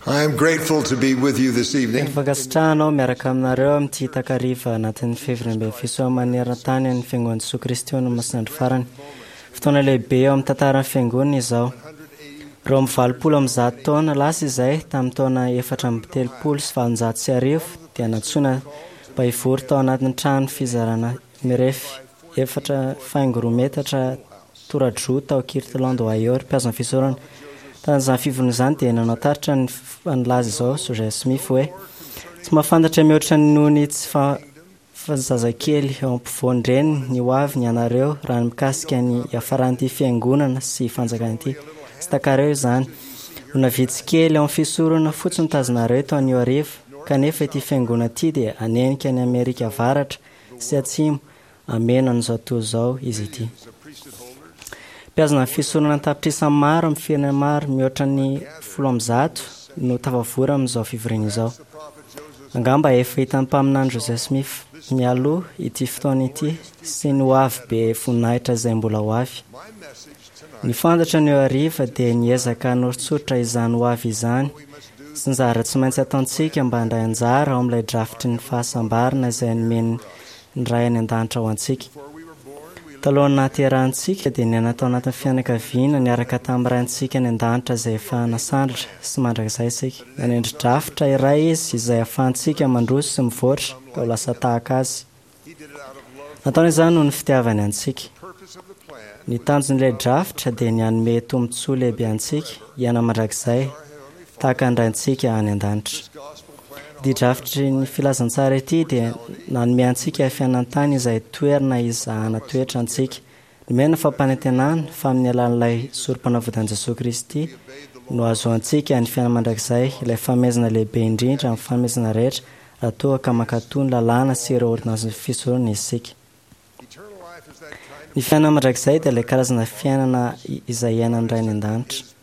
I am grateful to be with you this evening. Teny fankasitrahana aho miaraka aminareo amin'ity takariva anatin'ny fivoriambe fisoa maneran-tany an'ny Fiangonan'i Jesoa Kristy ho an'ny Masinandro Farany. Fotoana lehibe eo amin'ny tantaran'ny Fiangonana izao. 182 taona lasa izay, tamin'ny taona 1834, dia nantsoina mba hivory tao anatin'ny trano fizarana mirefy 4.2 metatra tora-droa tao Kirtland, Ohio, ry mpihazo ny fisoronana. Tamin'izany fivoriana izany dia nanao taritra ny nilaza izao Joseph Smith hoe, Tsy mahafantatra mihoatra noho ny tsy fa zazakely eo ampovoan-dreniny ny ho aviny ianareo raha ny mikasika ny hiafaran'ity fiangonana sy fanjakana ity. Tsy takareo izany. Olona vitsy kely ao amin'ny fisoronana fotsiny no tazonareo eto anio hariva, kanefa ity fiangonana ity dia hanenika an'i Amerika Avaratra sy Atsimo Amena an'izao tontolo izao izy ity. Mpihazona ny fisoronana an-tapitrisa maro amin'ny firenena maro mihoatra ny 110 no tafavory amin'izao fivoriana izao. Angamba efa hitan'ny mpaminany Joseph Smith mialoha ity fotoana ity sy ny hoavy be voninahitra izay mbola ho avy. Ny fantatra anio hariva dia niezaka hanoritsoritra izany hoavy izany sy ny zavatra tsy maintsy ataontsika mba handray anjara ao amin'ilay drafitry ny fahasambarana izay nomen'ny ny Ray any An-danitra ho antsika. Talohan'ny nahaterahantsika dia niaina tao anatin'ny fianakaviana niaraka tamin'ny Raintsika any An-danitra izay efa nasandratra sy mandrakizay isika. Nanendry drafitra iray Izy izay ahafahantsika mandroso sy mivoatra ka ho lasa tahaka Azy. Nataony izany noho ny fitiavany antsika. Ny tanjon'ilay drafitra dia ny hanome tombontsoa lehibe antsika hiaina mandrakizay tahaka ny Raintsika any An-danitra. Ity drafitry ny filazantsara ity dia nanome antsika fiainantany izay toerana hizahana toetra antsika. Nomena fampanantenana fa amin'ny alalan'ilay Sorompanavotan'i Jesoa Kristy no hahazoantsika ny fiainana mandrakizay, ilay fanomezana lehibe indrindra amin'ny fanomezana rehetra raha toa ka mankatò ny lalàna sy ireo ôrdônansin'ny fisoronana isika. Ny fiainana mandrakizay dia ilay karazana fiainana izay iainan'ny Ray any An-danitra.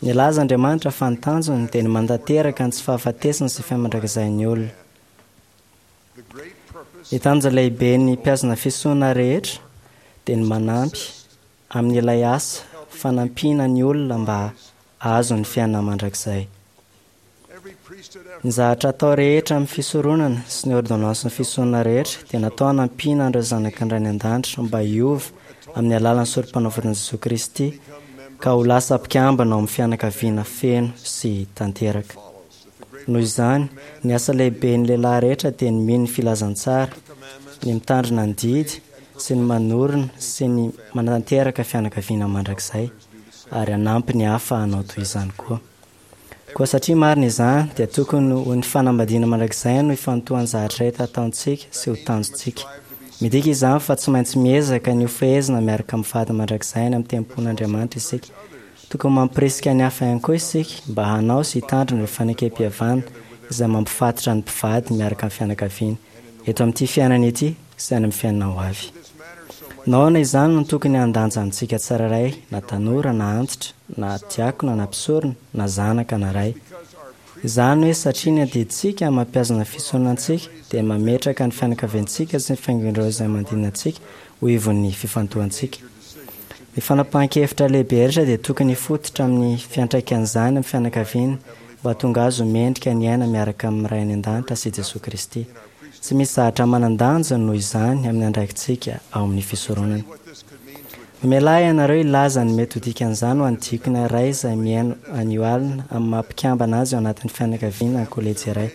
Nilaza Andriamanitra fa ny tanjony dia ny mantanteraka ny tsy fahafatesana sy fiainana mandrakizain'ny olona. Ny tanjona lehiben'ny mpihazona fisoronana rehetra dia ny manampy amin'ilay asa fanampiana ny olona mba hahazo ny fiainana mandrakizay. Ny zavatra atao rehetra amin'ny fisoronana sy ny ôrdônansin'ny fisoronana rehetra dia natao hanampiana an'ireo zanaky ny Ray any An-danitra mba hiova amin'ny alalan'ny Sorompanavotan'i Jesoa Kristy ka ho lasa mpikambana ao amin'ny fianakaviana feno sy tanteraka. Noho izany, ny asa lehiben'ny lehilahy rehetra dia ny mino ny filazantsara, ny mitandrina ny didy, sy ny manorina sy ny manatanteraka fianakaviana mandrakizay, ary hanampy ny hafa hanao toy izany koa. Koa satria marina izany, dia tokony ho ny fanambadiana mandrakizay no ifantohan'ny zavatra rehetra ataontsika sy ho tanjontsika. Midika izany fa tsy maintsy miezaka ny hofehezina miaraka amin'ny vady mandrakizay any amin'ny tempolin'Andriamanitra isika. Tokony mampirisika ny hafa ihany koa isika mba hanao sy hitandrina ireo fanekempihavanana izay mampifatotra ny mpivady miaraka amin'ny fianakaviany, eto amin'ity fiainana ity sy any amin'ny fiainana ho avy. Nahoana izany no tokony handanja amintsika tsirairay, na tanora na antitra, na diakona na mpisorona, na zanaka na ray? Izany hoe satria ny adidintsika mampihazona fisoronana antsika dia mametraka ny fianakaviantsika sy ny fiangon'ireo izay manodidina antsika ho ivon'ny fifantohantsika. Ny fanapahan-kevitra lehibe rehetra dia tokony hifototra amin'ny fiantraikan'izany amin'ny fianakaviana mba hahatonga azy ho mendrika ny hiaina miaraka amin'ny Ray any An-danitra sy Jesoa Kristy. Tsy misy zavatra manan-danja noho izany amin'ny andraikitsika ao amin'ny fisoronana. Mamelà ianareo hilaza ny mety ho dikan'izany ho an'ny diakona iray izay mihaino anio alina amin'ny maha-mpikambana azy ao anatin'ny fianakaviana na kolejy iray.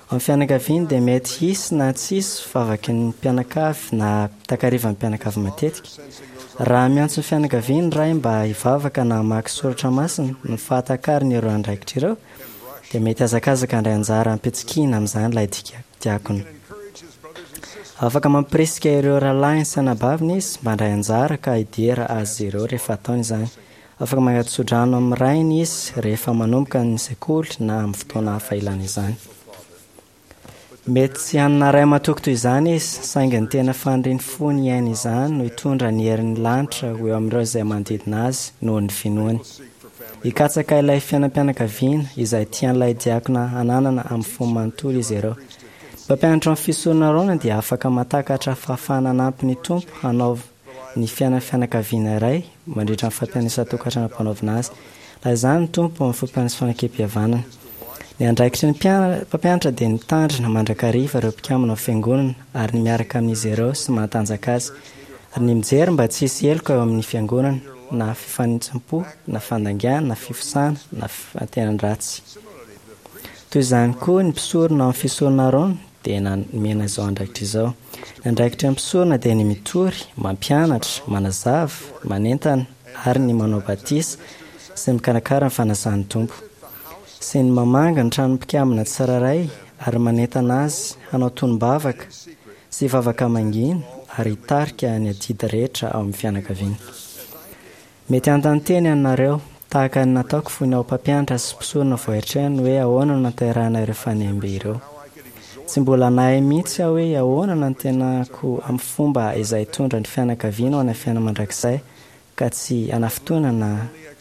Ao amin'ny fianakaviany dia mety hisy na tsy hisy vavaky ny mpianakavy na takarivan'ny mpianakavy matetika. Raha miantso ny fianakaviany ny ray mba hivavaka na hamaky soratra masina, ny fahatakariny ireo andraikitra ireo dia mety hazakazaka handray anjara am-pitsikiana amin'izany ilay diakona. Afaka mampirisika ireo rahalahiny sy anabaviny izy mba handray anjara ka hidera azy ireo rehefa ataony izany. Afaka mangato-tsodrano amin'ny rainy izy rehefa manomboka ny sekoly na amin'ny fotoana hafa ilana izany. Mety tsy hanana ray matoky toy izany izy, saingy ny tena fanirian'ny fony hiaina izany no hitondra ny herin'ny lanitra ho eo amin'ireo izay manodidina azy noho ny finoany. Hikatsaka ilay fiainam-pianakaviana izay tian'ilay diakona hananana amin'ny fony manontolo izy ireo. Ny mpampianatra ny fisorona Arona dia afaka mahatakatra fahafahana hanampy ny Tompo hanao ny fiainan'ny fianakaviana iray mandritra ny fampian'isan-tokantrano ampanaovina azy. Laha izany ny Tompo amin'ny fampian'ny fanekempihavanana. Ny andraikitry ny mpampianatra dia ny mitandrina mandrakariva ireo mpikambana ao fiangonana ary ny miaraka amin'izy ireo sy mahatanjaka azy, ary ny mijery mba tsy hisy heloka eo amin'ny fiangonana, na fifanintsim-po, na fandaingana, na fifosana, na fantenan-dratsy. Toy izany koa, ny mpisorona ao amin'ny fisorona Arona dia nomena izao andraikitra izao. Ny andraikitry ny mpisorona dia ny mitory, mampianatra, manazava, manentana, ary ny manao batisa sy ny mikarakara ny fanasan'ny Tompo. Sy ny mamangy ny tranon'ny mpikambana tsirairay ary manentana azy hanao tonom-bavaka sy vavaka mangina ary hitarika ny adidy rehetra ao amin'ny fianakaviana. Mety hanontany tena ianareo, tahaka ny nataoko fony aho mpampianatra sy mpisorona vao eritreritro hoe ahoana no nahaterahana ireo fanembe ireo. Tsy mbola nahay mihitsy aho hoe ahoana no antenako amin'ny fomba izay hitondra ny fianakaviana ho any amin'ny fiainana mandrakizay ka tsy hanafintohina na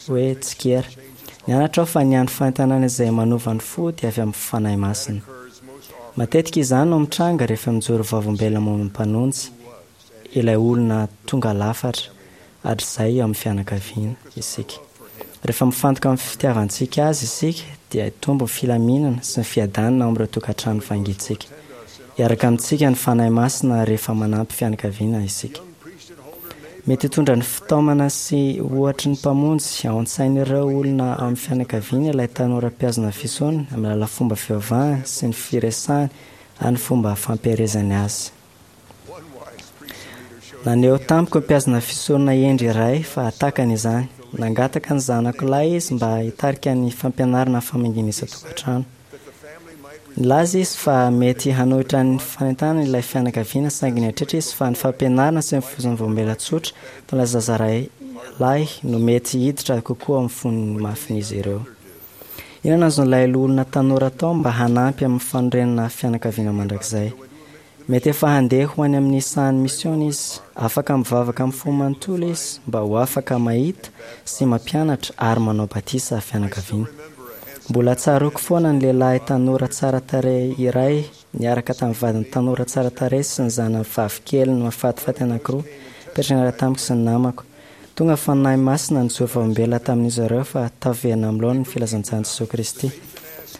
hoe tsikera. Nianatra aho fa ny hany fanentanana izay manova ny fo dia avy amin'ny Fanahy Masina. Matetika izany no mitranga rehefa mijoro vavolombelona momba ny Mpanonjy. ilay olona tonga lafatra hatrizay eo amin'ny fianakaviana isika. Rehefa mifantoka amin'ny fitiavantsika azy isika dia hitombo ny filaminana sy ny fiadanana ao amin'ireo tokantrano vangintsika. Hiaraka amintsika ny Fanahy Masina rehefa manampy fianakaviana isika. Mety hitondra ny fitaomana sy ohatry ny Mpamonjy ao an-tsain'ireo olona ao amin'ny fianakaviana ilay tanora mpihazona fisoana amin'ny alalan'ny fomba fivavahany sy ny firesahany ary ny fomba fampiherezany azy. Naneho tamiko ny mpihazona fisorona hendry iray fa takany izany. Nangataka ny zanako lahy izy mba hitarika ny fampianarana ny famangiana isan-tokantrano. Nilaza izy fa mety hanohitra ny fanentanana ilay fianakaviana saingy nieritreritra izy fa ny fampianarana sy ny fivozon'ny vao tsotra tamin'ilay zaza iray lahy no mety hiditra kokoa amin'ny fon'ny mafin'izy ireo. Inona no azon'ilay loholona tanora atao mba hanampy amin'ny fanorenana fianakaviana mandrakizay? Mety efa handeha ho any amin'ny sahan'ny misiona izy. Afaka mivavaka amin'ny fo manontolo izy mba ho afaka mahita sy mampianatra ary manao batisa fianakaviana. Mbola tsaroako foana ny lehilahy tanora tsara tarehy iray niaraka tamin'ny vadiny tanora tsara tarehy sy ny zanany vavikeliny mahafatifaty anankiroa nipetraka niaraka tamiko sy ny namako. Tonga Fanahy Masina nijoro vavolombelona tamin'izy ireo fa taverina amin'ny laoniny ny filazantsaran'i Jesoa Kristy.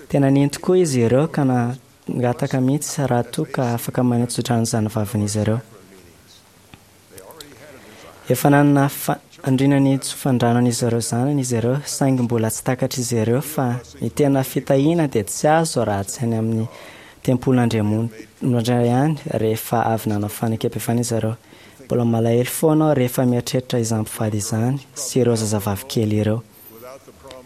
Tena nino tokoa izy ireo ka na Nangataka mihitsy raha toa ka afaka maneho tsodrano izany vavin'izy ireo. Efa nanana faniriana ny hitsofandrano an'izy ireo zanany izy ireo, saingy mbola tsy takatr'izy ireo fa ny tena fitahiana dia tsy azo raha tsy any amin'ny tempolin'Andriamanitra ihany rehefa avy nanao fanekempihavanana izy ireo. Mbola malahelo foana aho rehefa mieritreritra izany mpivady izany sy ireo zazavavy kely ireo.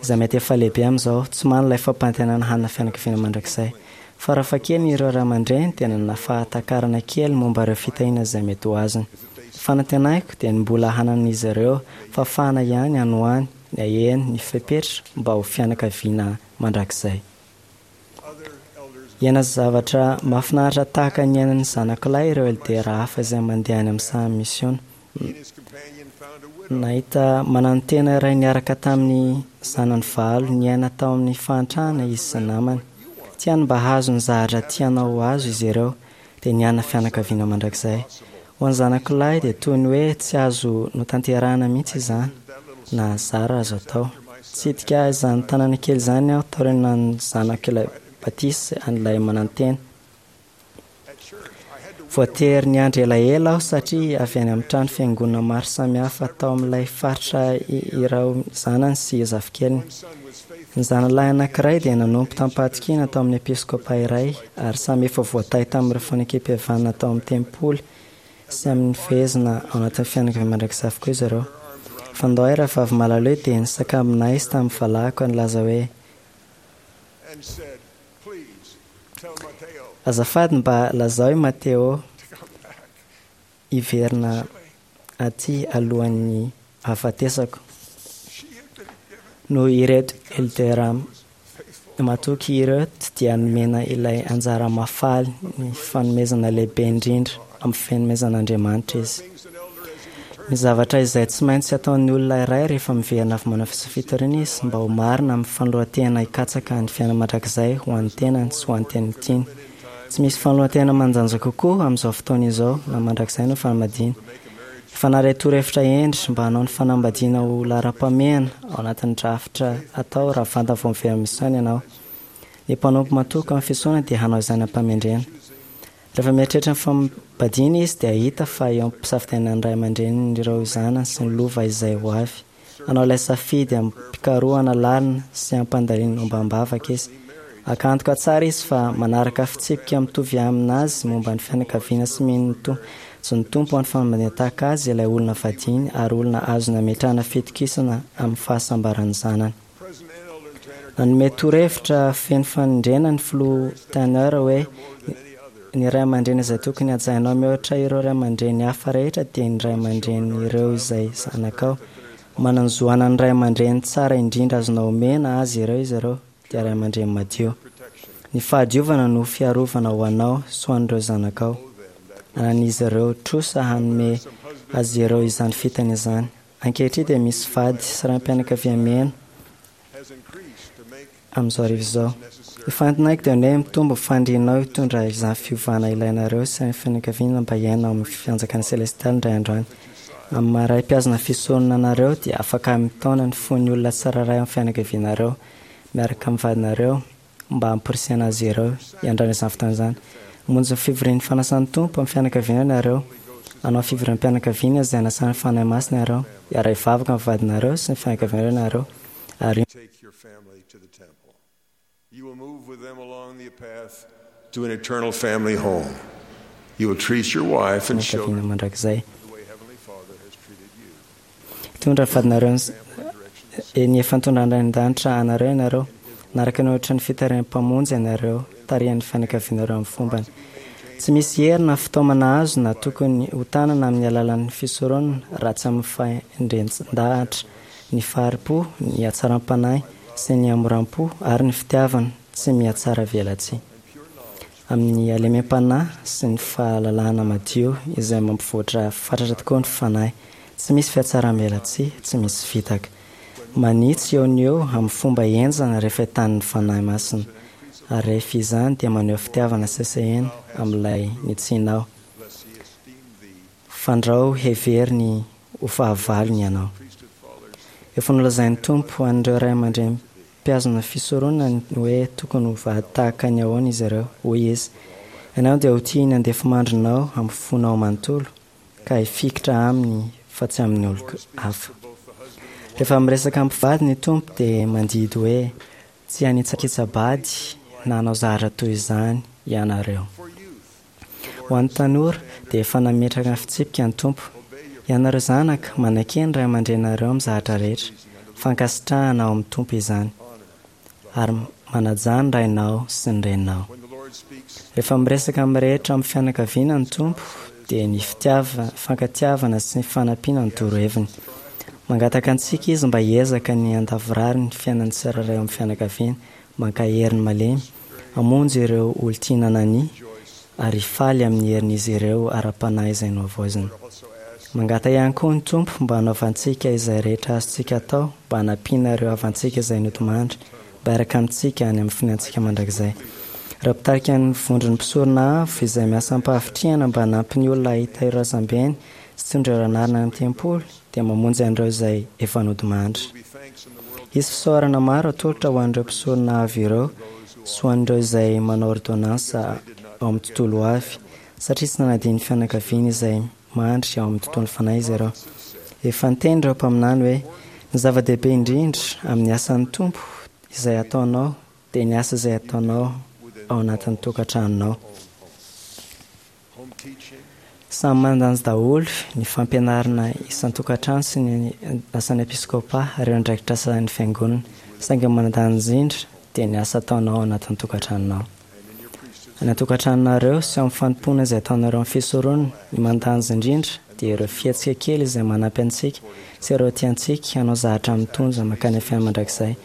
Izay mety efa lehibe amin'izao, tsy manana ilay fampanantenana hanana fianakaviana mandrakizay. Farafahakeliny ireo ray aman-dreny dia nanana fahatakarana kely momba ireo fitahiana izay mety ho azony. Ny fanantenako dia ny mbola hananan'izy ireo fahafahana ihany any ho any ny haheno ny fepetra mba ho fianakaviana mandrakizay. Hiaina zavatra mahafinaritra tahaka ny niainan'ny zanako lahy ireo LDR hafa izay mandeha any amin'ny sahan'ny misiona. Nahita mananotena iray niaraka tamin'ny zanany valo niaina tao amin'ny fahantrana izy sy ny namany. Tiany mba hahazo ny zavatra tianao ho azo izy ireo, dia ny hanana fianakaviana mandrakizay. Ho an'ny zanako lahy dia toy ny hoe tsy azo notanterahina mihitsy izany, na zara azo atao. Nitsidika izany tanàna kely izany aho taorian'ny zanako ilay batisa an'ilay manantena. Voatery niandry elaela aho satria avy any amin'ny trano fiangonana maro samihafa tao amin'ilay faritra ireo zanany sy zafikeliny. Ny zanalahy anankiray dia nanompo tamim-pahatokiana tao amin'ny episkopa iray ary samy efa voatahy tamin'ireo fanekempihavanana tao amin'ny tempoly sy amin'ny fehezina ao anatin'ny fianakaviana mandrakizay avokoa izy ireo. Fandoay rahavavy Malaloe dia nisakambina ahy tamin'ny valahako ary nilaza hoe, Azafady mba lazao i Mateo hiverina aty alohan'ny hahafatesako. Noho ireto Elder matoky ireto dia nomena ilay anjara mahafaly ny fanomezana lehibe indrindra amin'ny fanomezan'Andriamanitra izy. Ny zavatra izay tsy maintsy ataon'ny olona iray rehefa miverina avy manao fitoriana izy mba ho marina amin'ny fanoloran-tena hikatsaka ny fiainana mandrakizay ho an'ny tenany sy ho an'ny teny tiany. Tsy misy fanoloran-tena manan-danja kokoa amin'izao fotoana izao na mandrakizay noho ny fanambadiana. Efa naharay torohevitra hendry mba hanao ny fanambadiana ho laharam-pahamehana ao anatin'ny drafitra atao raha vantany vao miverina misaina ianao. Ny mpanompo matoky amin'ny fisoronana dia hanao izany am-pahamendrehana. Rehefa mieritreritra ny fanambadiana izy dia hahita fa eo am-pisafidianana ny ray aman-drenin'ireo zanany sy ny lova izay ho avy. Hanao ilay safidy amim-pikarohana lalina sy amim-pandalinana ombam-bavaka izy. Haka antoka tsara izy fa manaraka fitsipika mitovy amin'azy momba ny fianakaviana sy mino ny zon'ny Tompo ho an'ny fanambadiana tahaka azy ilay olona vadiany ary olona azony ametrahana fitokisana amin'ny fahasambaran'ny zanany. Nanome torohevitra feno fanindriana ny Filoha Tanner hoe, Ny ray aman-dreny izay tokony hajainao mihoatra ireo ray aman-dreny hafa rehetra dia ny ray aman-drenin'ireo izay zanakao. Manan-jo hanana ny ray aman-dreny tsara indrindra azonao omena azy ireo izy ireo, dia ray aman-dreny madio. Ny fahadiovana no fiarovana ho anao sy ho an'ireo zanakao. Anan'izy ireo trosa hanome azy ireo izany fitana izany. Ankehitriny dia misy vady sy raim-pianakaviamena amin'izao hariva izao. Ny fanantenako dia ny hoe mitombo ny fanirianao hitondra izany fiovana ilainareo sy ny fianakaviana mba hiaina ao amin'ny fanjakana selestialy indray andro any. Amin'ny maha ray mpihazona fisoronana anareo dia afaka mitaona ny fon'ny olona tsirairay ao amin'ny fianakavianareo miaraka amin'ny vadinareo mba hamporisihana azy ireo hiandrana izany fotoana izany. Hamonjy ny fivorian'ny fanasan'ny Tompo amin'ny fianakaviana ianareo. Hanao fivoriam-pianakaviana izay hanasan'ny Fanahy Masina ianareo. Hiara-hivavaka amin'ny vadinareo sy ny fianakavianareo ianareo. Ary. Take your family to the temple. You will move with them along the path to an eternal family home. You will treat your wife and Fianakaviana children mandrakizay. the way Heavenly Father has treated you. Hitondra ny vadinareo ny efa nitondran'ny Ray an-danitra anareo ianareo. Naraka ny ohatry ny fitarihan'ny Mpamonjy ianareo, tarihan'ny fianakavianareo amin'ny fombany. Tsy misy hery na fitaomana azo na tokony ho tanana amin'ny alalan'ny fisoronana raha tsy amin'ny fahendren-dahatra, ny fahari-po, ny hatsaram-panahy sy ny hamoram-po ary ny fitiavana tsy mihatsara velatsihy. Amin'ny halemem-panahy sy ny fahalalahana madio izay mampivoatra fatratra tokoa ny fanahy. Tsy misy fihatsaram-belatsihy, tsy misy fitaka. Manitsy eo no eo amin'ny fomba henjana rehefa entanin'ny Fanahy Masina. Ary rehefa izany dia maneho fitiavana sesehena amin'ilay nitsianao. Fandrao heveriny ho fahavalony ianao. Efa nolazain'ny Tompo an'ireo ray aman-dreny mpihazona fisoronana ny hoe tokony ho vady tahaka ny ahoana izy ireo. Hoy Izy, Ianao dia ho tia ny andefimandrinao amin'ny fonao manontolo, ka hifikitra aminy fa tsy amin'ny olon-kafa. Rehefa miresaka amin'ny mpivady ny Tompo dia mandidy hoe, Tsy hanitsakitsa-bady na hanao zavatra toy izany ianareo. Ho an'ny tanora dia efa nametraka ny fitsipika ny Tompo, Ianareo zanaka, manaike ny ray aman-dreninareo amin'ny zavatra rehetra, fankasitrahana ao amin'ny Tompo izany, ary manajà ny rainao sy ny reninao. Rehefa miresaka amin'ny rehetra amin'ny fianakaviana ny Tompo dia ny fitiavana, fankatiavana sy ny fanampiana no toroheviny. Mangataka antsika Izy mba hiezaka ny handavorary ny fiainan'ny tsirairay ao amin'ny fianakaviana, mankahery ny malemy, hamonjy ireo olon-tiana nania, ary hifaly amin'ny herin'izy ireo ara-panahy izay nohavaozina. Mangata ihany koa ny Tompo mba hanaovantsika izay rehetra azontsika atao mba hanampiana ireo havantsika izay nodimandry mba hiaraka amintsika any amin'ny finoantsika mandrakizay. Ireo mpitarika ny vondron'ny mpisorona avo izay miasa am-pahavitrihana mba hanampy ny olona hahita ireo razambeny sy hitondra ireo anarana any amin'ny tempoly dia mamonjy an'ireo izay efa nodimandry. Hisy fisaorana maro atolotra ho an'ireo mpisorona avo ireo sy ho an'ireo izay manao ôrdônansa ao amin'ny tontolo ho avy, satria tsy nanadino ny fianakaviany izay mandry ao amin'ny tontolon'ny fanahy izy ireo. Efa niteny ireo mpaminany hoe, Ny zava-dehibe indrindra amin'ny asan'ny Tompo izay ataonao dia ny asa izay ataonao ao anatin'ny tokantranonao. Samy manan-danja daholo ny fampianarana isan-tokantrano sy ny asan'ny episkôpà ary ireo andraikitra asan'ny Fiangonana, saingy ny manan-danja indrindra dia ny asa ataonao ao anatin'ny tokantranonao. Any an-tokantranonareo sy ao amin'ny fanompoana izay ataonareo amin'ny fisoronana, ny manan-danja indrindra dia ireo fihetsika kely izay manampy antsika sy ireo tiantsika hanao zavatra mitondra mankany amin'ny fiainana mandrakizay.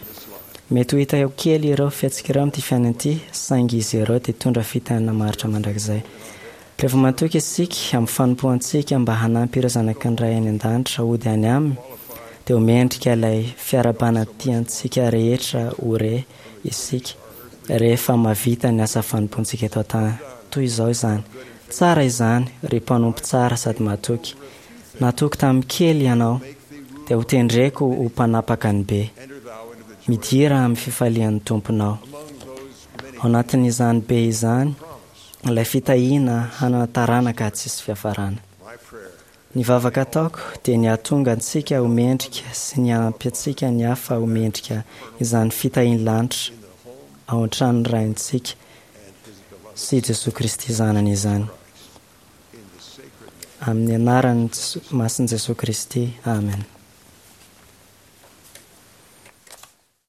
Mety ho hita ho kely ireo fihetsika ireo amin'ity fiainana ity, saingy izy ireo dia hitondra fitahiana maharitra mandrakizay. Rehefa matoky isika amin'ny fanompoantsika mba hanampy ireo zanaky ny Ray any An-danitra hody any Aminy, dia ho mendrika ilay fiarahabana tiantsika rehetra ho re isika rehefa mahavita ny asa fanompoantsika eto an-tany. Toy izao izany, Tsara izany, ry mpanompo tsara sady matoky. Natoky tamin'ny kely ianao, dia hotendreko ho mpanapaka ny be. Midira amin'ny fifalian'ny Tomponao. Ao anatin'izany be izany ilay fitahiana hanana taranaka tsisy fiafarana. My prayer Ny vavaka ataoko dia ny hahatonga antsika ho mendrika sy ny hanampy antsika ny hafa ho mendrika izany fitahian'ny lanitra ao an-tranon'ny Raintsika and his beloved sy Jesoa Kristy zanany izany. in the sacred name Amin'ny anaran'ny Jeso- masin'i Jesoa Kristy. Amen.